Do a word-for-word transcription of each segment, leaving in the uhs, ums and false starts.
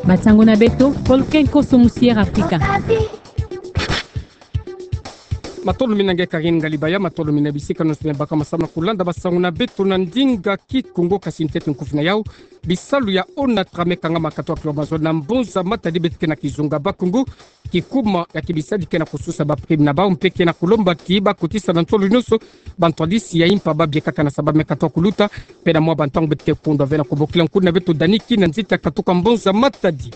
Bansango na beto, Volcan Koso Musier Afrika. Matondo mingi nge Karine Ngalibaya, matondo mingi na bisika nyonso me baka masamu na kulanda bansango na beto na ndinga Kikongo. Kasi ntete nkufi na yau, bisalu ya ONATRA me kangama katoa kilomètre mazono na mbonza matadi beto ke na kizunga Bas-Congo, kikuma ya kibisadi ke na kususa ba prime na bau mpe ke na kulomba ti bakotisa na ntolo nyonso bantwadisi ya impa ba biekaka na sambanu me katoa kuluta. Mpe na mwa bantangu beto ke kundwa ve na kubokila nkuna na beto Dani Kinda Nzita katuka mbonza matadi.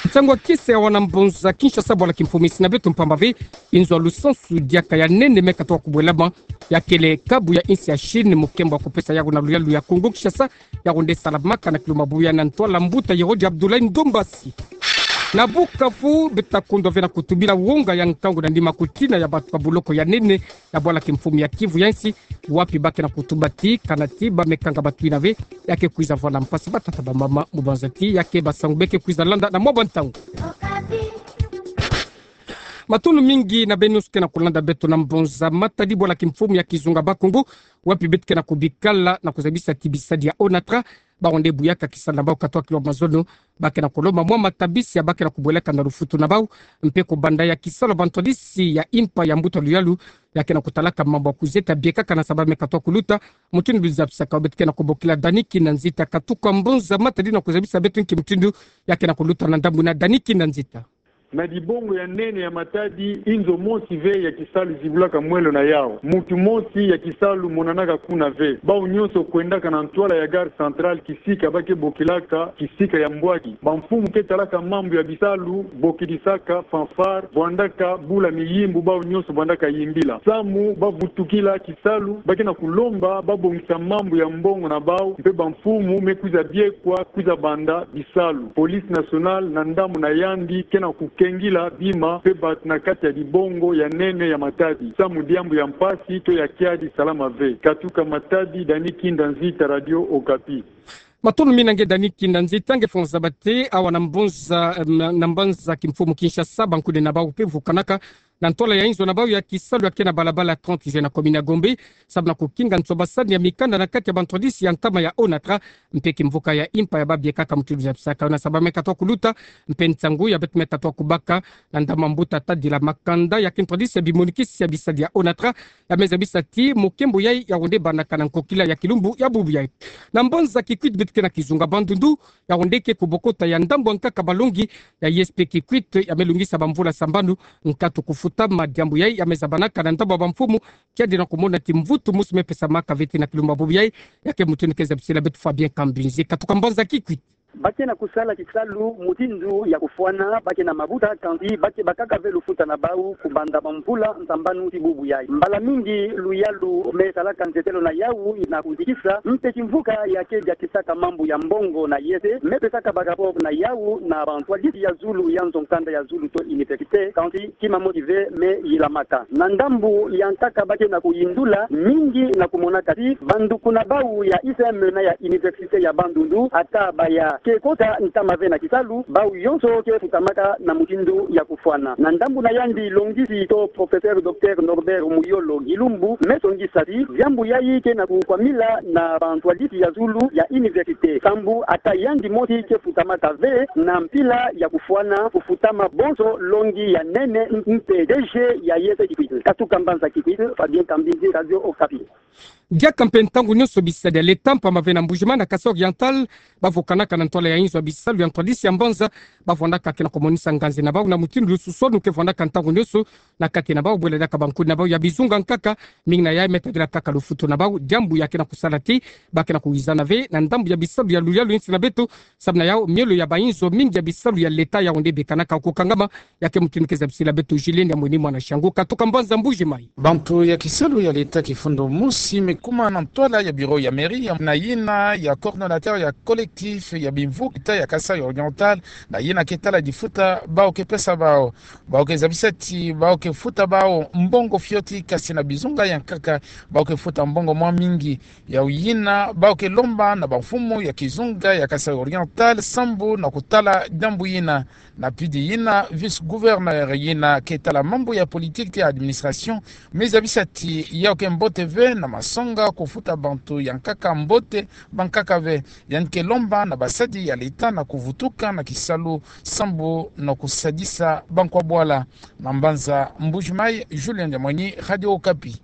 Nsangu ya kisa ya wana mbonza Kinshasa, bwala kimfumu insi na beto, mpamba ve inzo ya lusansu diaka ya nene me katoa kubwelama, ya kele kabu ya insi ya Chine, mukembo ya kupesa yawu na luyalu ya Kongo Kinshasa, yawu nde salamaka na kilumbu ya bubu yayi na ntwala mbuta Yerodi Abdoulaye Ndombasi. Na Bukavu, beto ta kundwa ve na kutubila wonga ya nkangu na nima kutina ya bantu ba buloko ya nene ya bwala kimfumu ya Kivu ya insi, wapi ba ke na kutuba ti kana ti ba me kanga bantu yina ve ya ke kwiza vwanda mpasi, batata, bamama, mu banza ti ya ke bansangu be ke kwiza landa na mwa bantangu. Matondo mingi na beno nyonso ke na kulanda beto na mbonza matadi bwala kimfumu ya kizunga Bas-Congo, wapi beto ke na kubikala na kuzabisa ti bisadi ya ONATRA, bawu nde buyaka kisalu na bau katoa kilomètre mazono, ba ke na kulomba mwa matabisi ya ba ke na kubwelaka na lufutu na bau, mpe kubanda ya kisalu bantwadisi ya impa ya mbuta luyalu ya ke na kutalaka mambu ya kuzeta biekaka na sambanu me katoa kuluta. Mutindu zabisaka, beto ke na kubokila Dani Kinda Nzita katuka mbonza matadi na kuzabisa beto nki mutindu ya ke na kuluta na ndambu yina. Dani Kinda Nzita. Na dibongo ya nene ya matadi, inzo mosi ve ya kisalu zibulaka mwelo na yau. Muntu mosi ya kisalu monanaka kuna ve. Bau nyonso kwendaka na ntwala ya gare centrale, kisika ba ke bokilaka kisika ya mbwaki. Bamfumu ke talaka mambu ya bisalu, bokidisaka fanfare, vwandaka bula miyimbu, bau nyonso vwandaka yimbila. Samu ba vutukila kisalu, ba ke na kulomba babongisa mambu ya mbongo na bau, mpe bamfumu me kwiza biekwa, kwiza banda bisalu. Police nationale na ndambu na yandi ke na kukengila bima mpe bantu na kati ya dibongo ya nene ya matadi, samu diambu ya mpasi to ya kiadi salama ve. Katuka Matadi, Dani Kinda Nzita, Radio Okapi. Matondo mingi na nge Dani Kinda Nzita. Nge fwanza bate awa na mbonza, na, na mbanza kimfumu Kinshasa, bankuni na bau mpe vukanaka na ntwala ya inzo na bau ya kisalu ya ke na balabala trente juin na commune ya Gombe, samu na kukinga nsobasani ya mikanda na kati ya bantwadisi ya ntama ya ONATRA mpe kimvuka ya impa ya ba biekaka, mutindu zabisaka yo na sambanu me katoa kuluta. Mpe nsangu ya beto me katoa kubaka na ndambu ya mbuta Tadila Makanda ya ke ntwadisi ya bimonikisi ya bisadi ya ONATRA, ya me zabisa ti mukembo yayi yawu nde bandaka na nkokila ya kilumbu ya bubu yayi. Na mbanza Kikwit beto ke na kizunga Bandundu, yawu nde ke kubokota ya ndambu ya nkaka balongi ya ISP Kikwit, ya me longisa bamvula sambanu nkatu kufutama. Diambu yayi ya me zabanaka na ndambu ya bamfumu, kiadi na kumona ti mvutu mosi me pesamaka ve ti na kilumbu ya bubu yayi. Ya ke mutindu ke zabisila beto Fabien Kambinzi katuka mbanza Kikwit. Ba ke na kusala kisalu mutindu ya kufwana, ba ke na mabuta, kansi ba ke bakaka ve lufuta na bau kubanda bamvula sambanu ti bubu yayi. Mbala mingi luyalu me salaka nzetelo na yau na kuzikisa, mpe kimvuka ya ke diakisaka mambu ya mbongo na ISP me pesaka ba rapport na yau na bantwadisi ya zulu ya nzo-nkanda ya zulu to université, kansi kima mosi ve me yilamaka. Na ndambu ya nkaka ba ke na kuyindula, mingi na kumonaka ti bandukuna bau ya ISM na ya université ya Bandundu, ata ba ya ke kota ntama ve na kisalu, bau yonso ke futamaka na mutindu ya kufwana. Na ndambu na yandi, longisi to professeur docteur Norbert Muyolo Gilumbu me songisa ti diambu yayi ke na kukwamila na bantwadisi ya zulu ya université, sambu ata yandi mosi ke futamaka ve na mpila ya kufwana kufutama bonso longi ya nene mpe DG ya ISP Kikwit. Katuka mbanza Kikwit, Fabien Kambinzi, Radio Okapi. Diaka mpe ntangu nyonso bisadi ya leta mpamba ve na Mbuji-Mayi na Kasaï Oriental, ba vukanaka na ntwala ya inzo ya bisalu ya ntwadisi ya mbanza, ba vwandaka ke na kumonisa nganzi na bau na mutindu lususwanu ke vwandaka ntangu nyonso na kati na bau, bwela diaka bankuni na bau ya bizunga nkaka, mingi na yayi me tadila kaka lufutu na bau, diambu ya ke na kusala ti ba ke na kuwizana ve na ndambu ya bisalu ya luyalu insi na beto. Samu na yau, miolo ya bainzo mingi ya bisalu ya leta yawu nde bekanaka kukangama. Ya ke mutindu ke zabisila beto Julien Diamweni, mwana Shangu katoka mbanza Mbuji-Mayi. Bantu ya kisalu ya leta kifundu mosi me kuma na ntwala ya bureau ya mairie ya, na yina ya coordonnateur ya collectif ya bimvuka ya Kasaï Oriental, na yina ke tala difuta bau ke pesa bau. Bau ke zabisa ti bau ke futa bau mbongo fioti, kasi na bizunga ya nkaka bau ke futa mbongo mwa mingi. Yawu yina bau ke lomba na bamfumu ya kizunga ya Kasaï Oriental sambu na kutala diambu yina. Na pidi yina, vice-gouverneur yina ke tala mambu ya politique ya administration me zabisa ti yawu ke mbote ve na masonga kufuta bantu ya nkaka mbote, bankaka ve. Yandi ke lomba na basa ya leta na kuvutuka na kisalu sambu na kusadisa bankwa bwala. Na mbanza Mbuji-Mayi, Julien Diamweny, Radio Okapi.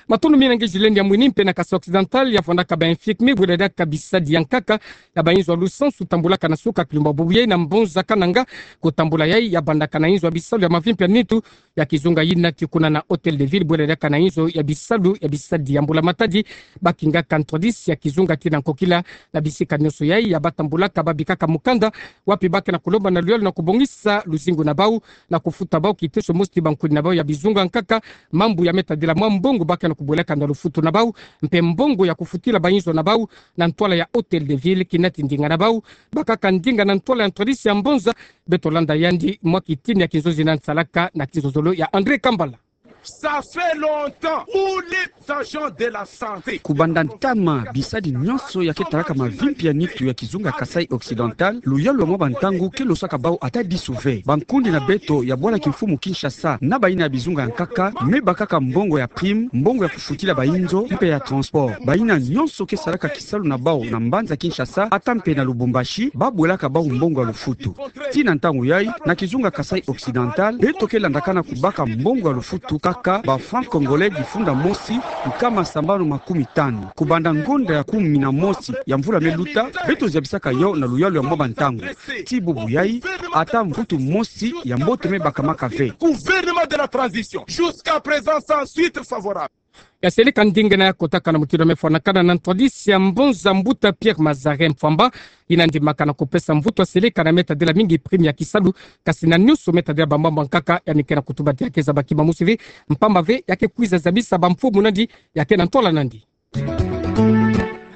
Matondo mingi na nge Julien Diamweny. Mpena Kasaï Occidental ya vwandaka ba infirmiers bwela diaka bisadi ya nkaka ya ba inzo ya lusansu tambulaka na suka kilumbu bubu yayi na mbonza Kananga. Kutambula yayi ya bandaka na inzo ya bisalu ya mavimpi ya nitu ya kizunga yina ti kuna na Hôtel de Ville bwela diaka na inzo ya bisalu ya bisadi ya mbula-matadi. Bakingaka ntwadisi ya kizunga kina nkokila na bisika nionso yayi ya batambulaka, babikaka mukanda wapi ba ke na kulomba na luyalu na kubongisa luzingu na bau na kufuta bau kiteso mosi ti bankuni na bau ya bizunga nkaka. Mambu ya me tadila mwa mbongo ba ke na kubwelaka na lufutu na bau, mpe mbongo ya kufutila ba inzo na bau na ntwala ya Hôtel de Ville. Kina ti ndinga na bau, bakaka ndinga na ntwala ya ntwadisi ya mbonza. Beto landa yandi mwa kitini ya kinzonzi na nsalaka na kinzonzolo ya André Kambala. Ça fait longtemps où les agents de la santé. Kubanda ntama, bisadi nionso ya ke talaka mavimpi ya nitu ya kizunga Kasaï Occidental, luyalu ya mwa bantangu ke losaka bau ata disu ve. Bankundi na beto ya bwala kimfumu Kinshasa na bayina ya bizunga ya nkaka me bakaka mbongo ya prime, mbongo ya kufutila ba inzo, mpe ya transport. Bayina nionso ke salaka kisalu na bau na mbanza Kinshasa ata mpe na Lubumbashi, ba bwelaka bau mbongo ya lufutu. Tii na ntangu yayi, na kizunga Kasaï Occidental, beto ke landakana kubaka mbongo ya lufutu kaka ba francs congolais difunda mosi nkama sambanu makumi tanu. Kubanda ngonda ya kumi na mosi ya mvula me luta, beto zabisaka yo na luyalu ya mwa bantangu. Tii bubu yayi, ata mvutu mosi ya mbote me bakamaka ve. Gouvernement de la transition, jusqu'à présent sans suite favorable. Ya seleka ndinga na ya kotaka na mutindu me fwanakana na ntwadisi ya mbonza, mbuta Pierre Mazarin Mfwamba, yina ndimaka na kupesa mvutu ya seleka na me tadila mingi prime ya kisalu, kasi na nionso me tadila ba mambu ya nkaka, yandi ke na kutuba ti ya ke zaba kima mosi ve, mpamba ve ya ke kwiza zabisa bamfumu nandi ya ke na ntwala nandi.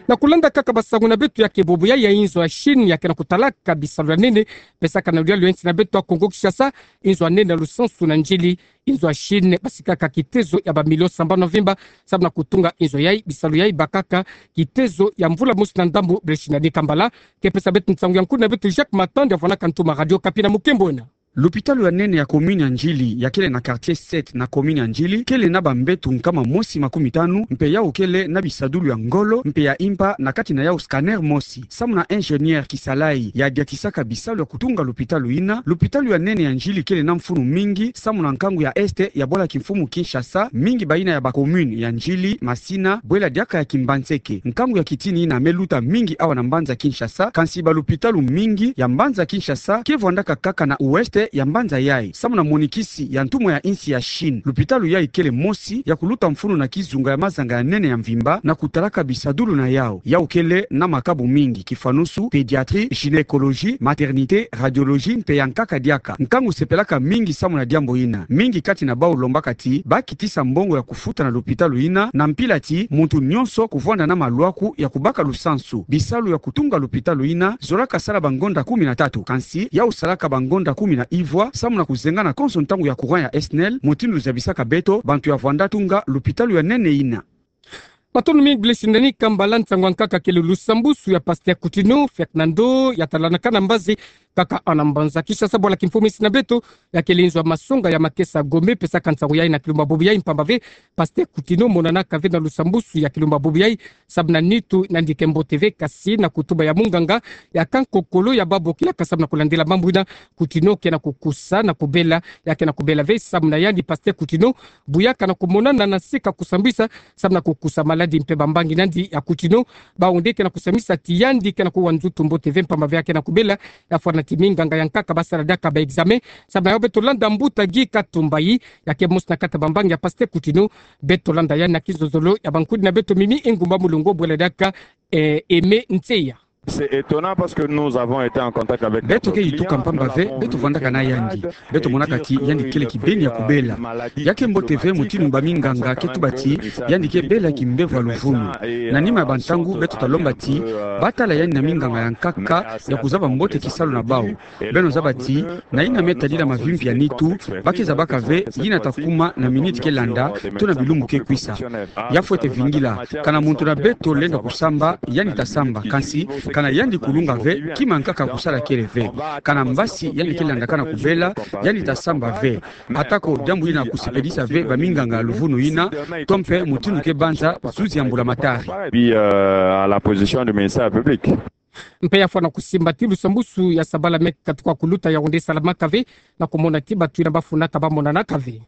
Na kulanda kaka basangu na beto, ya ke bubu yayi ya inzo ya Chine ya ke na kutalaka bisalu ya nene, pesaka na luyalu ya insi na beto ya Kongo Kinshasa inzo ya nene ya lusansu na N'djili. Inzo ya Chine basikaka kitezo ya ba millions sambanu na mvimba samu na kutunga inzo yayi. Bisalu yayi bakaka kitezo ya mvula mosi na ndambu. Blanche Nani Kambala ke pesa beto nsangu ya nkuni na beto Jacques Matanda ya vwanaka ntuma Radio Okapi na mukembo ena. Lupitalu ya nene ya commune ya N'djili, ya kele na quartier sept na commune ya N'djili, kele na bambeto nkama mosi makumi tanu, mpe yau kele na bisadulu ya ngolo mpe ya impa, na kati na yau scanner mosi. Samu na ingénieur Kisalayi ya diatisaka bisalu ya kutunga lupitalu yina, lupitalu ya nene ya N'djili kele na mfunu mingi samu na nkangu ya est ya bwala kimfumu Kinshasa, mingi bayina ya ba commune ya N'djili, Masina, bwela diaka ya Kimbanseke. Nkangu ya kitini yina me luta mingi awa na mbanza Kinshasa, kansi balupitalu mingi ya mbanza Kinshasa ke vwandaka kaka na ouest ya mbanza yayi. Samu na monikisi ya ntumwa ya insi ya Chine, lupitalu yayi kele mosi ya kuluta mfunu na kizunga ya mazanga ya nene ya mvimba na kutalaka bisadulu na yau. Yau kele na makabu mingi, kifwanusu pédiatrie, gynécologie, maternité, radiologie mpe ya nkaka diaka. Nkangu sepelaka mingi samu na diambu yina. Mingi kati na bau lombaka ti ba kitisa mbongo ya kufuta na lupitalu yina, na mpila ti muntu nionso kuvwanda na malwaku ya kubaka lusansu. Bisalu ya kutunga lupitalu yina zolaka sala bangonda kumi na tatu, kansi yau salaka bangonda kumi na ivwa samu na kuzengana konso ntangu ya courant ya SNEL, mutindu zabisaka beto bantu ya vwanda tunga lupitalu ya nene yina. Matondo mingi Blanche Nani Kambala. Nsangu ya nkaka kele lusambusu ya pasteur Coutinho Fernando, ya talanaka na mbazi kaka awa na mbanza Kinshasa bwala kimfumu insi na beto, ya kele inzo ya masonga ya Makesa Gombe, pesaka nsangu yayi na kilumbu bubu yayi, mpamba ve pasteur Coutinho monanaka ve na lusambusu ya kilumbu bubu yayi samu na nitu nandi ke mbote ve, kasi na kutuba ya munganga ya kankokolo ya babokilaka samu na kulandila mambu yina, Coutinho ke na kukusa na kubela, ya ke na kubela ve. Samu na yandi pasteur Coutinho, bu ya ke na kumonana na sika kusambisa samu na kukusa maladi mpe bambangi nandi ya Coutinho, bawu nde ke na kusambisa ti yandi ke na kuwa nzutu mbote ve, mpamba ve ya ke na kubela. Ya fwana ti minganga ya nkaka basala diaka ba examen. Samu na yau beto landa mbuta Guy Katumbayi, ya ke mosi na kati ya bambangi ya pasteur Coutinho. Beto landa yandi na kizozolo ya bankudi na beto Mimi Engumba Mulongo bwela diaka, eh, Aimé Ntseya. C'est étonnant parce que nous avons été en contact avec notre client. Beto ke yituka mpamba ve beto vwandaka na yandi. Beto monaka ti yandi kele kibeni ya kubela. Ya ke mbote ve mutindu baminganga ke tuba ti yandi ke bela kimbevo ya luvunu. Na nima ya bantangu beto ta lomba ti ba tala yandi na minganga ya nkaka ya kuzaba mbote kisalu na bau. Beno zaba ti na yina me tadila mavimpi ya nitu, ba ke zabaka ve yina ta kuma na minute ke landa, to na bilumbu ke kwisa. Ya fwete vingila, kana muntu na beto lenda kusamba, yandi ta samba, kansi kana yandi kulunga ve, kima nkaka kusala kele ve. Kana mbasi yandi ke landaka na kubela, yandi ta samba ve. Atako diambu yina kusepelisa ve baminganga ya luvunu yina, to mpe mutindu ke banza zuzi ya mbulamatari. Puis, euh, à la position du ministère public. Mpe ya fwana kusimba ti lusambusu ya sabala me katuka kuluta ya onde salamaka ve, na kumona ti batu yina bafunaka bamonanaka ve.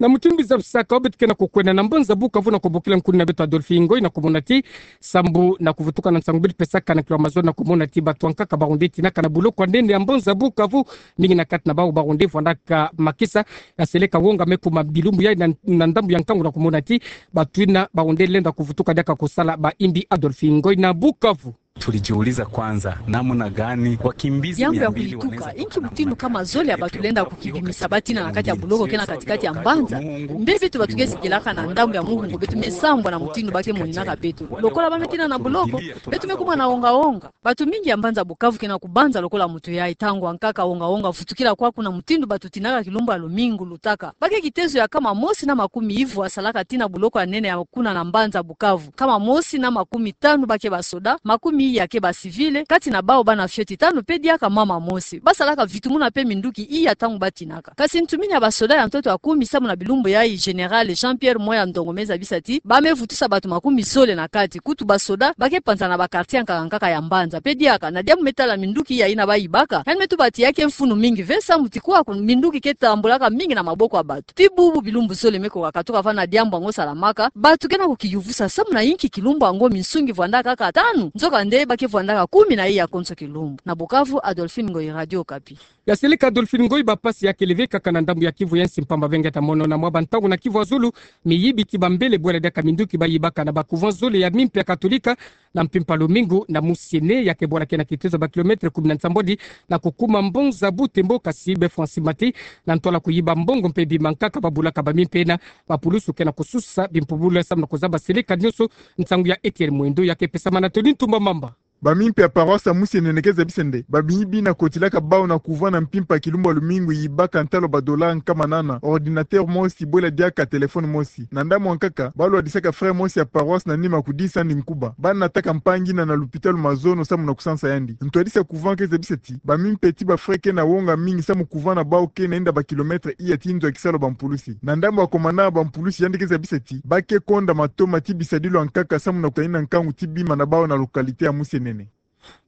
Na mutindu zabisaka, beto ke na kukwenda na mbanza Bukavu na kubokila nkuna beto Adolphe Ngoy na kumona ti sambu na kuvutuka na nsangu beto pesaka na kilo ya mazono na kumona ti batu ankaka baonde tinaka na buloko ya nene ya mbanza Bukavu, mingi na kati na bawu baonde vwandaka makisa ya seleka wonga me kuma bilumbu yayi na, na ndambu ya nkangu na kumona ti batu yina baonde lenda kuvutuka diaka kusala ba imbi. Adolphe Ngoy na Bukavu. Tulijiuliza kwanza namna gani wakimbizi mia mbili wanaweza kuwa na maisha. Diambu ya kulituka, inki mutindu kama zole ya batu lenda kukibimisa batina na kati ya buloko ke na katikati ya mbanza? Mbe beto batu ke zingilaka na ndambu ya muhungu beto me sambwa na mutindu ba ke moninaka beto. Lokola ba me tina na buloko, beto me kuma na wonga-wonga. Batu mingi ya mbanza Bukavu ke na kubanza lokola mutu yayi, ntangu ankaka wonga-wonga vutukila kwaku na mutindu batu tinaka kilumbu ya lumingu lutaka. Ba ke kitezo ya nkama mosi na makumi ivwa salaka tina buloko ya nene ya kuna na mbanza Bukavu. Nkama mosi na makumi tanu ba ke basoda, makumi iya ke bacivil, kati na bawu bana fioti tanu mpe diaka mama mosi. Basalaka vitumuna mpe minduki iya ntangu batinaka. Kasi ntumini ya basoda ya ntoto ya kumi samu na bilumbu yayi, Général Jean-Pierre Moya Ndongo me zabisa ti ba me vutusa batu makumi zole na kati. Kutu basoda ba ke panzana ba quartier ankaka ankaka ya mbanza. Mpe diaka na diambu me tala minduki iya yina bayibaka, yandi me tuba ti ya ke mfunu mingi ve samu ti kwaku minduki ke tambulaka mingi na maboko ya batu. Ti bubu bilumbu zole me koka katuka vanda diambu yango salamaka, batu ke na kukiyuvusa samu na inki kilumbu yango minsungi vwandaka kaka tanu, nzokande ba ke vwandaka kumi na iya konso kilumbu. Na Bukavu, Adolphine Ngoy, Radio Okapi. Ya seleka Adolphine Ngoy, bampasi ya kele ve kaka na ndambu ya Kivu ya nsi, mpamba ve nge ta mono na mwa bantangu na Kivu ya Zulu, miyibi ti bambele bwela diaka minduki bayibaka na ba couvent zole ya mimpi ya Katolika, na mpimpa lumingu na musiene ya ke bwala ke na kitezo ba kilomètre kumi na nsambwadi na kukuma mbanza Butembo, kasi befwa nsimati na ntwala kuyiba mbongo mpe bima nkaka babulaka ba mimpi yina, bapulusu ke na kususa bimpubula samu na kuzaba seleka nionso. Nsangu ya Etienne Mwendo ya ke pesama na Tony Ntumba Mamba. Ba mimpi ya paroisse ya musiene ke zabisa nde ba miyibi na kotilaka bawu na couvent na mpimpa kilumbu ya lumingu, yibaka ntalu ba dollar nkama nana, ordinateur mosi bwela diaka téléphone mosi. Na ndambu ankaka, ba lwadisaka frère mosi ya paroisse na nima kudisa yandi nkuba. Ba nataka mpangi yina na lupitalu mazono samu na kusansa yandi. Ntwadisi ya couvent ke zabisa ti ba mimpi ti ba frère ke na wonga mingi samu couvent na bawu ke na inda ba kilomètre iya ti nzo ya kisalu ya bampulusi. Na ndambu ya commandant ya bampulusi, yandi ke zabisa ti ba ke konda matoma ti bisadilu ankaka samu na kutanina nkangu ti bima na bawu na localité ya musiene.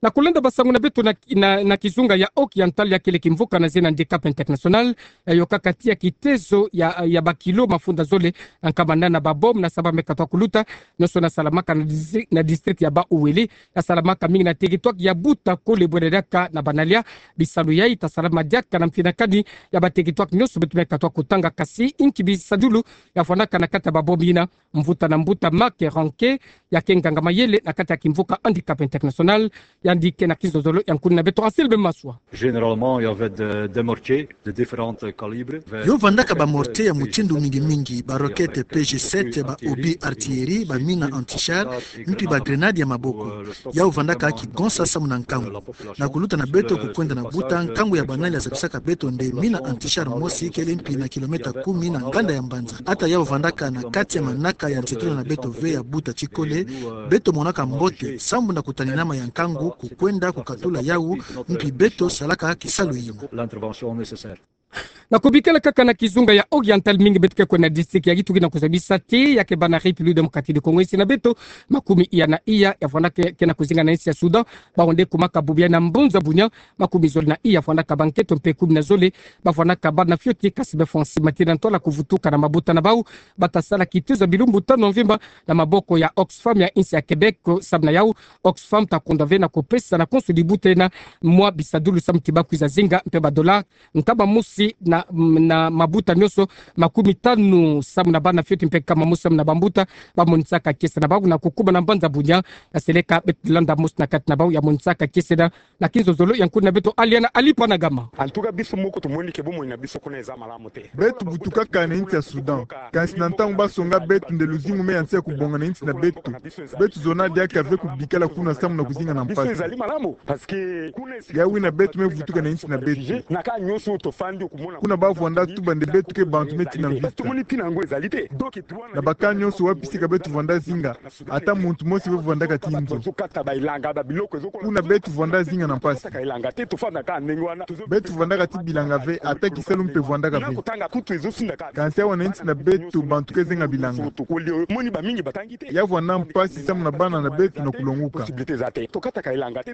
Na kulenda basangu na beto na, na, na kizunga ya Oriental, ya kele kimvuka na zina Handicap International, ya yokaka tiya kitezo ya, ya bakilo mafunda zole nkama nana ba bombe na saba me katuka kuluta, nionso na salamaka na distri-, na district ya Bas-Uele, ya salamaka mingi na territoire ya Buta Kole, bwela diaka na Banalia. Bisalu yayi ta salama diaka na mfinakani ya ba territoire nionso beto me katuka kutanga, kasi inki bisadilu ya vwandaka na kati ya ba bombe yina. Mvuta na mbuta Marc Ranke, ya ke nganga mayele na kati ya kimvuka Handicap International, yandi ke na kizozolo ya nkuna beto Anselme Maswa. Généralement, il y avait de, des mortiers de différents calibres. Yo vandaka ba mortier ya mutindu mingi-mingi, ba roquette P G sept, ba obus artillerie, ba mina anti-char, mpi ba grenade ya maboko. Yau vandaka kigonsa samu na nkangu. Na kuluta na beto kukwenda na buta, nkangu ya Banalia ya zabisaka beto nde mina anti-char mosi kele mpi na kilomètre kumi na nganda ya mbanza. Ata yau vandaka na kati ya manaka ya nsetula na beto ve ya buta tikole, beto monaka mbote, sambu na kutaninama ya nkangu, kukwenda kukatula yau, mpi beto salaka kisalu yina. Na kubikala kaka na kizunga ya Oriental, mingi beto ke kwenda na district ya Kituri na kuzabisa ti ya ke bana République Démocratique du Congo, insi na beto, makumi iya na iya ya vandaka ke na kuzinga na insi ya Soudan, bawu nde kumaka bubu yayi na mbanza Bunia, makumi zole na iya vandaka banketo mpe kumi na zole ba vandaka bana fioti, kasi befwa nsimati na ntwala kuvutuka na mabuta na bawu. Ba ta sala kitezo ya bilumbu tanu ya mvimba na maboko ya Oxfam ya insi ya Québec, samu na yau Oxfam ta konda ve na kupesa na konso dibuta yina mwa bisadulu samu ti ba kwiza zinga mpe ba dollar nkama mosi na, na mabuta nionso makumi tanu samu na bana fioti mpe nkama mosi samu na bambuta ba monisaka kiese na bawu na kukuma na mbanza Bunia. Ya seleka beto landa mosi na kati na bawu ya monisaka kiese na, na kinzozolo ya nkuna beto Aliana Ali Panagama. En tout cas, biso moko tomoni ke bomoi na biso kuna eza malamu te. Beto butukaka na insi ya Soudan. Kasi na ntangu ba songa beto nde luzingu me ya nsi ya kubonga na insi na beto, beto zona diaka ve kubikala kuna samu na kuzinga na mpasi. Yau yina beto me vutuka na insi na beto. Kuna bavwanda tuba nde beto ke bantu meti na mvita. Na bakani nyonso wapi sika beto vwanda zinga, ata muntu mosi ve vwandaka ti nzo. Kuna beto vwanda zinga na mpasi. Beto vwandaka ti bilanga ve, ata kisalu mpe vwandaka ve. Kansi awa na nsi na beto bantu ke zenga bilanga. Ya vwanda mpasi samu na bana na beto na kulonguka.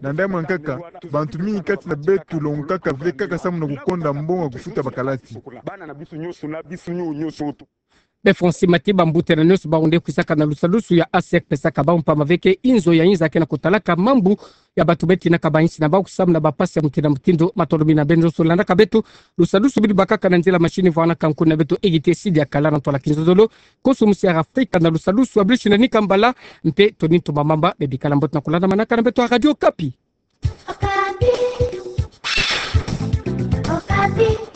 Na ndambu ya nkaka, bantu mingi kati na beto longukaka ve kaka samu na kukonda mbongo ya kufuta bakalasi. Be Francis Matiba, mbuta na nyonso bawu nde kwisaka na lusadusu ya A C R pesaka bawu mpamba ve ke inzo ya inza ke na kutalaka mambu ya bantu beti na kabansi na bawu kusamu na bampasi ya mutindu na mutindu. Matondo mingi na beno nyonso landaka beto. Lusadusu bidi bakaka na nzila machine vwanga na kankuni na beto Egite Sidi Akala na ntwala kinzonzolo. Konso musi ya Afrika na lusadusu ya Blushi na Nikambala, mpe Tony Ntumba Mamba, be bikala mbote na kulandamanaka na beto ya Radio Okapi. Okapi. Okapi.